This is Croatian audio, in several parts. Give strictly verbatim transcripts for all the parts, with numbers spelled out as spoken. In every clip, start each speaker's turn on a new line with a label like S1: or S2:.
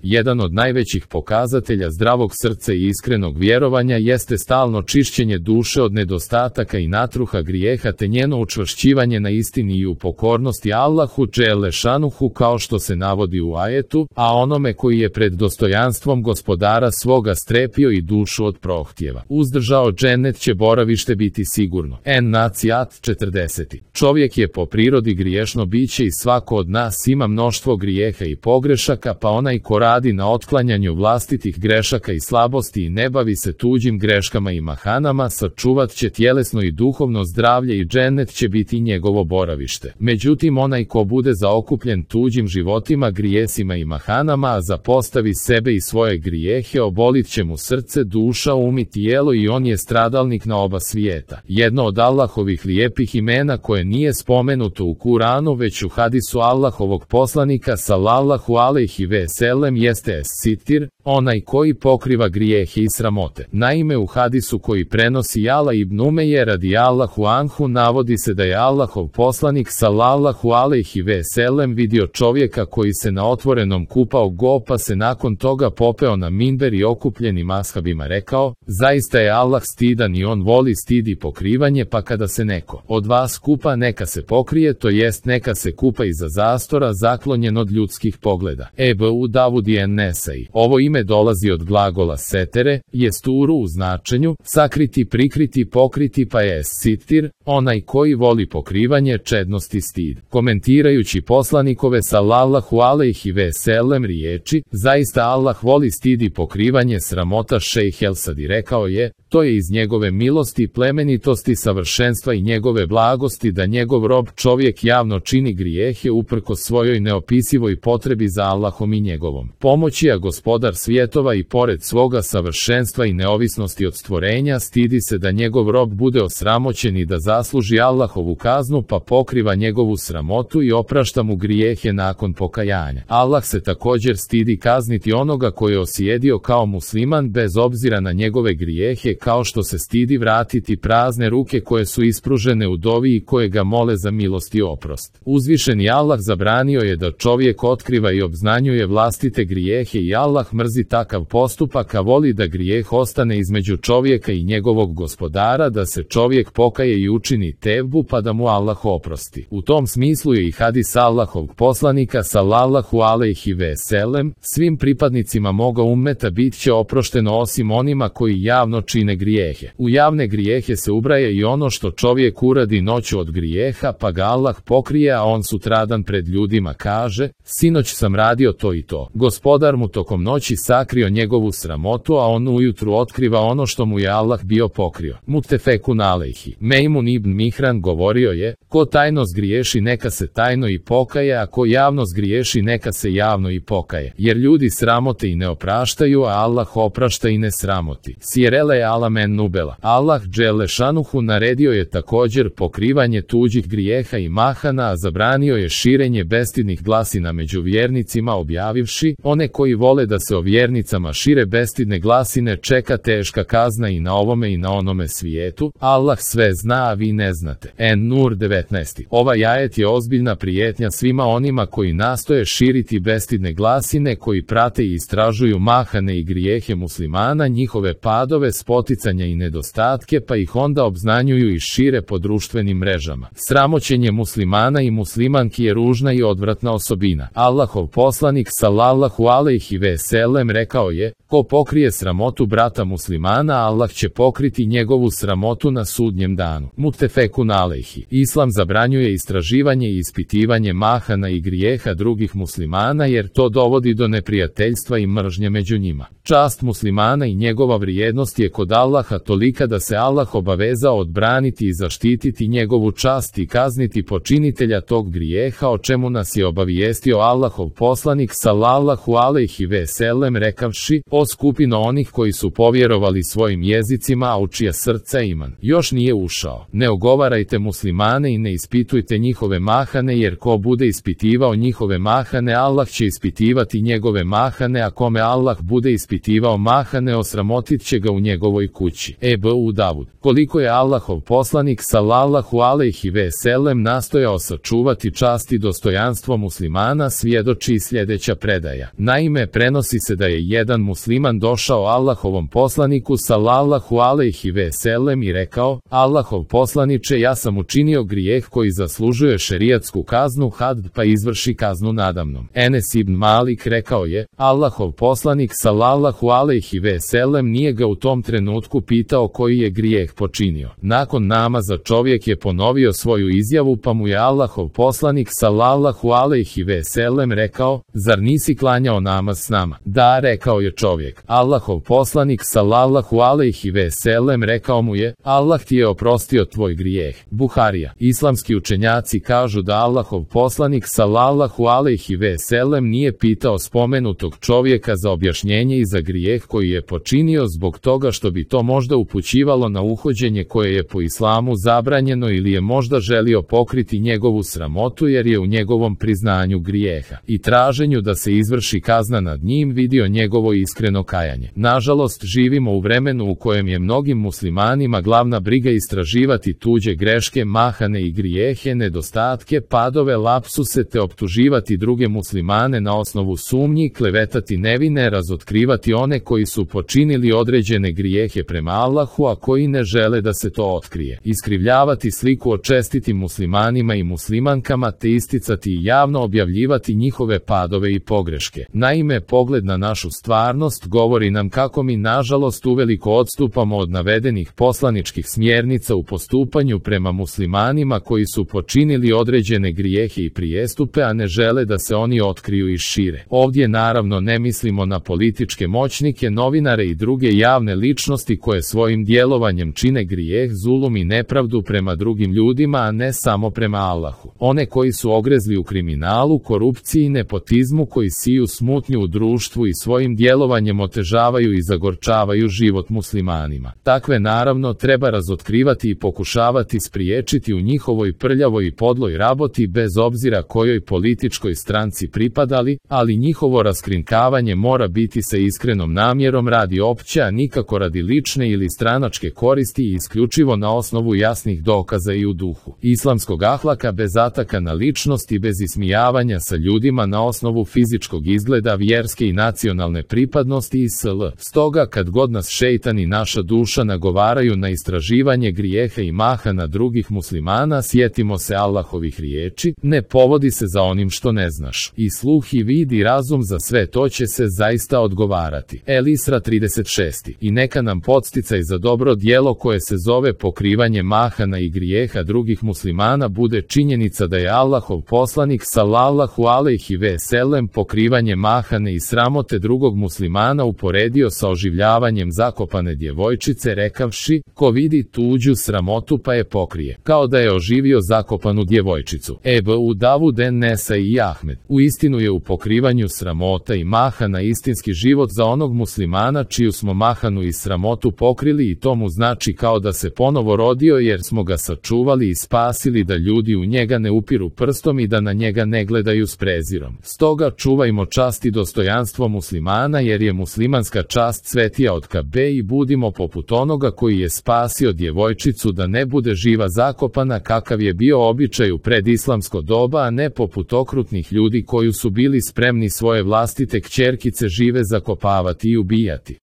S1: Jedan od najvećih pokazatelja zdravog srca i iskrenog vjerovanja jeste stalno čišćenje duše od nedostataka i natruha grijeha te njeno učvršćivanje na istini i u pokornosti Allahu dželle šanuhu kao što se navodi u ajetu, a onome koji je pred dostojanstvom gospodara svoga strepio i dušu od prohtjeva uzdržao, džennet će boravište biti sigurno. En-Nacijat četrdeset. Čovjek je po prirodi griješno biće i svako od nas ima mnoštvo grijeha i pogrešaka, pa onaj ko radi na otklanjanju vlastitih grešaka i slabosti i ne bavi se tuđim greškama i mahanama, sačuvat će tjelesno i duhovno zdravlje i džennet će biti njegovo boravište. Međutim, onaj ko bude zaokupljen tuđim životima, grijesima i mahanama, a zapostavi sebe i svoje grijehe, obolit će mu srce, duša, um i tijelo i on je stradalnik na oba svijeta. Jedno od Allahovih lijepih imena koje nije spomenuto u Kuranu već u hadisu Allahovog poslanika sallallahu alejhi ve sellem jeste es-sitir, onaj koji pokriva grijehe i sramote. Naime, u hadisu koji prenosi Jala ibn Umeje radijallahu anhu navodi se da je Allahov poslanik sallallahu alejhi ve sellem vidio čovjeka koji se na otvorenom kupao go, pa se nakon toga popeo na minber i okupljenim ashabima rekao: zaista je Allah stidan i on voli stid i pokrivanje, pa kada se neko od vas kupa neka se pokrije, to jest neka se kupa iza zastora zaklonjen od ljudskih pogleda. Ebu Davud i en-Nesai. Ovo ime dolazi od glagola setere, jesturu u značenju sakriti, prikriti, pokriti, pa je sitir, onaj koji voli pokrivanje, čednost i stid. Komentirajući poslanikove sallallahu alejhi ve sellem riječi, zaista Allah voli stid i pokrivanje sramota, šejh el-Sadi rekao je, to je iz njegove milosti, plemenitosti, savršenstva i njegove blagosti da njegov rob čovjek javno čini grijehe uprkos svojoj neopisivoj potrebi za Allahom i njegovom pomoći, a gospodar svjetova i pored svoga savršenstva i neovisnosti od stvorenja stidi se da njegov rob bude osramoćen i da zasluži Allahovu kaznu, pa pokriva njegovu sramotu i oprašta mu grijehe nakon pokajanja. Allah se također stidi kazniti onoga koji je osjedio kao musliman bez obzira na njegove grijehe, kao što se stidi vratiti prazne ruke koje su ispružene u dovi i koje ga mole za milost i oprost. Uzvišeni Allah zabranio je da čovjek otkriva i obznanjuje vlastite grijehe i Allah mrzi takav postupak, a voli da grijeh ostane između čovjeka i njegovog gospodara, da se čovjek pokaje i učini tevbu pa da mu Allah oprosti. U tom smislu je i hadis Allahovog poslanika sallallahu alejhi ve sellem: svim pripadnicima moga ummeta bit će oprošteno osim onima koji javno čine grijehe. U javne grijehe se ubraja i ono što čovjek uradi noću od grijeha, pa ga Allah pokrije, a on sutradan pred ljudima kaže: sinoć sam radio to i to. Gospodar mu tokom noći sakrio njegovu sramotu, a on ujutru otkriva ono što mu je Allah bio pokrio. Muttefekun alejhi. Mejmun ibn Mihran govorio je: ko tajno zgriješi neka se tajno i pokaje, a ko javno zgriješi neka se javno i pokaje. Jer ljudi sramote i ne opraštaju, a Allah oprašta i ne sramoti. Sjerele alamen nubela. Allah dželle šanuhu naredio je također pokrivanje tuđih grijeha i mahana, a zabranio je širenje bestidnih glasina među vjernicima, objavivši: one koji vole da se o vjernicama šire bestidne glasine čeka teška kazna i na ovome i na onome svijetu. Allah sve zna, a vi ne znate. En-Nur devetnaest. Ovaj ajet je ozbiljna prijetnja svima onima koji nastoje širiti bestidne glasine, koji prate i istražuju mahane i grijehe muslimana, njihove padove, spoticanja i nedostatke, pa ih onda obznanjuju i šire po društvenim mrežama. Sramoćenje muslimana i muslimanki je ružna i odvratna osobina. Allahov poslanik sallallahu alejhi ve sellem rekao je: ko pokrije sramotu brata muslimana, Allah će pokriti njegovu sramotu na sudnjem danu. Muttefekun alejhi. Islam zabranjuje istraživanje i ispitivanje mahana i grijeha drugih muslimana, jer to dovodi do neprijateljstva i mržnje među njima. Čast muslimana i njegova vrijednost je kod Allaha tolika da se Allah obavezao odbraniti i zaštititi njegovu čast i kazniti počinitelja tog grijeha, o čemu nas je obavijestio Allahov poslanik sallallahu alejhi ve sellem Selem rekavši, o skupino onih koji su povjerovali svojim jezicima, a u čija srca iman još nije ušao. Ne ogovarajte muslimane i ne ispitujte njihove mahane, jer ko bude ispitivao njihove mahane, Allah će ispitivati njegove mahane, a kome Allah bude ispitivao mahane, osramotit će ga u njegovoj kući. Ebu Davud. Koliko je Allahov poslanik sallallahu alejhi ve sellem nastojao sačuvati čast i dostojanstvo muslimana, svjedoči sljedeća predaja. Naime, prenosi se da je jedan musliman došao Allahovom poslaniku sallallahu alejhi ve sellem i rekao: Allahov poslaniče, ja sam učinio grijeh koji zaslužuje šerijatsku kaznu, had, pa izvrši kaznu nadamnom. Enes ibn Malik rekao je: Allahov poslanik sallallahu alejhi ve sellem nije ga u tom trenutku pitao koji je grijeh počinio. Nakon namaza čovjek je ponovio svoju izjavu, pa mu je Allahov poslanik sallallahu alejhi ve sellem rekao: zar nisi klanjao namaz s nama? Da, rekao je čovjek. Allahov poslanik sallallahu alejhi ve sellem rekao mu je: Allah ti je oprostio tvoj grijeh. Buharija. Islamski učenjaci kažu da Allahov poslanik sallallahu alejhi ve sellem nije pitao spomenutog čovjeka za objašnjenje i za grijeh koji je počinio zbog toga što bi to možda upućivalo na uhođenje koje je po islamu zabranjeno, ili je možda želio pokriti njegovu sramotu jer je u njegovom priznanju grijeha i traženju da se izvrši kazna nad njim vidio njegovo iskreno kajanje. Nažalost, živimo u vremenu u kojem je mnogim muslimanima glavna briga istraživati tuđe greške, mahane i grijehe, nedostatke, padove, lapsuse, te optuživati druge muslimane na osnovu sumnji, klevetati nevine, razotkrivati one koji su počinili određene grijehe prema Allahu, a koji ne žele da se to otkrije, iskrivljavati sliku o čestitim muslimanima i muslimankama, te isticati i javno objavljivati njihove padove i pogreške. Naime, pogled na našu stvarnost govori nam kako mi nažalost uveliko odstupamo od navedenih poslaničkih smjernica u postupanju prema muslimanima koji su počinili određene grijehe i prijestupe, a ne žele da se oni otkriju i šire. Ovdje naravno ne mislimo na političke moćnike, novinare i druge javne ličnosti koje svojim djelovanjem čine grijeh, zulum i nepravdu prema drugim ljudima, a ne samo prema Allahu. One koji su ogrezli u kriminalu, korupciji i nepotizmu, koji siju smutnju u društvu i svojim djelovanjem otežavaju i zagorčavaju život muslimanima. Takve naravno treba razotkrivati i pokušavati spriječiti u njihovoj prljavoj i podloj raboti, bez obzira kojoj političkoj stranci pripadali, ali njihovo raskrinkavanje mora biti sa iskrenom namjerom radi opće, a nikako radi lične ili stranačke koristi i isključivo na osnovu jasnih dokaza i u duhu islamskog ahlaka, bez ataka na ličnost i bez ismijavanja sa ljudima na osnovu fizičkog izgleda, vjerske i nacionalne pripadnosti i sl. Stoga kad god nas šejtan i naša duša nagovaraju na istraživanje grijeha i mahana drugih muslimana, sjetimo se Allahovih riječi: ne povodi se za onim što ne znaš. I sluh i vid i razum, za sve to će se zaista odgovarati. El Isra trideset šest. I neka nam podsticaj za dobro djelo koje se zove pokrivanje mahana i grijeha drugih muslimana bude činjenica da je Allahov poslanik sallallahu alejhi ve sellem pokrivanje mahane i sramote drugog muslimana uporedio sa oživljavanjem zakopane djevojčice, rekavši: ko vidi tuđu sramotu pa je pokrije, kao da je oživio zakopanu djevojčicu. Ebu Davud en Nesa i Ahmed. U istinu je u pokrivanju sramota i mahana istinski život za onog muslimana čiju smo mahanu i sramotu pokrili, i to mu znači kao da se ponovo rodio, jer smo ga sačuvali i spasili da ljudi u njega ne upiru prstom i da na njega ne gledaju s prezirom. Stoga čuvajmo čast i dostojanstvo muslimana, jer je muslimanska čast svetija od Kabe, i budimo poput onoga koji je spasio djevojčicu da ne bude živa zakopana, kakav je bio običaj u predislamsko doba, a ne poput okrutnih ljudi koji su bili spremni svoje vlastite kćerkice žive zakopavati i ubijati.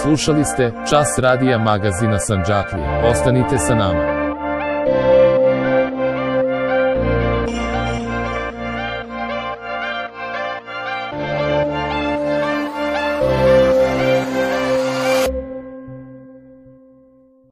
S1: Slušali ste Čas radija magazina Sandžaklija. Ostanite sa nama.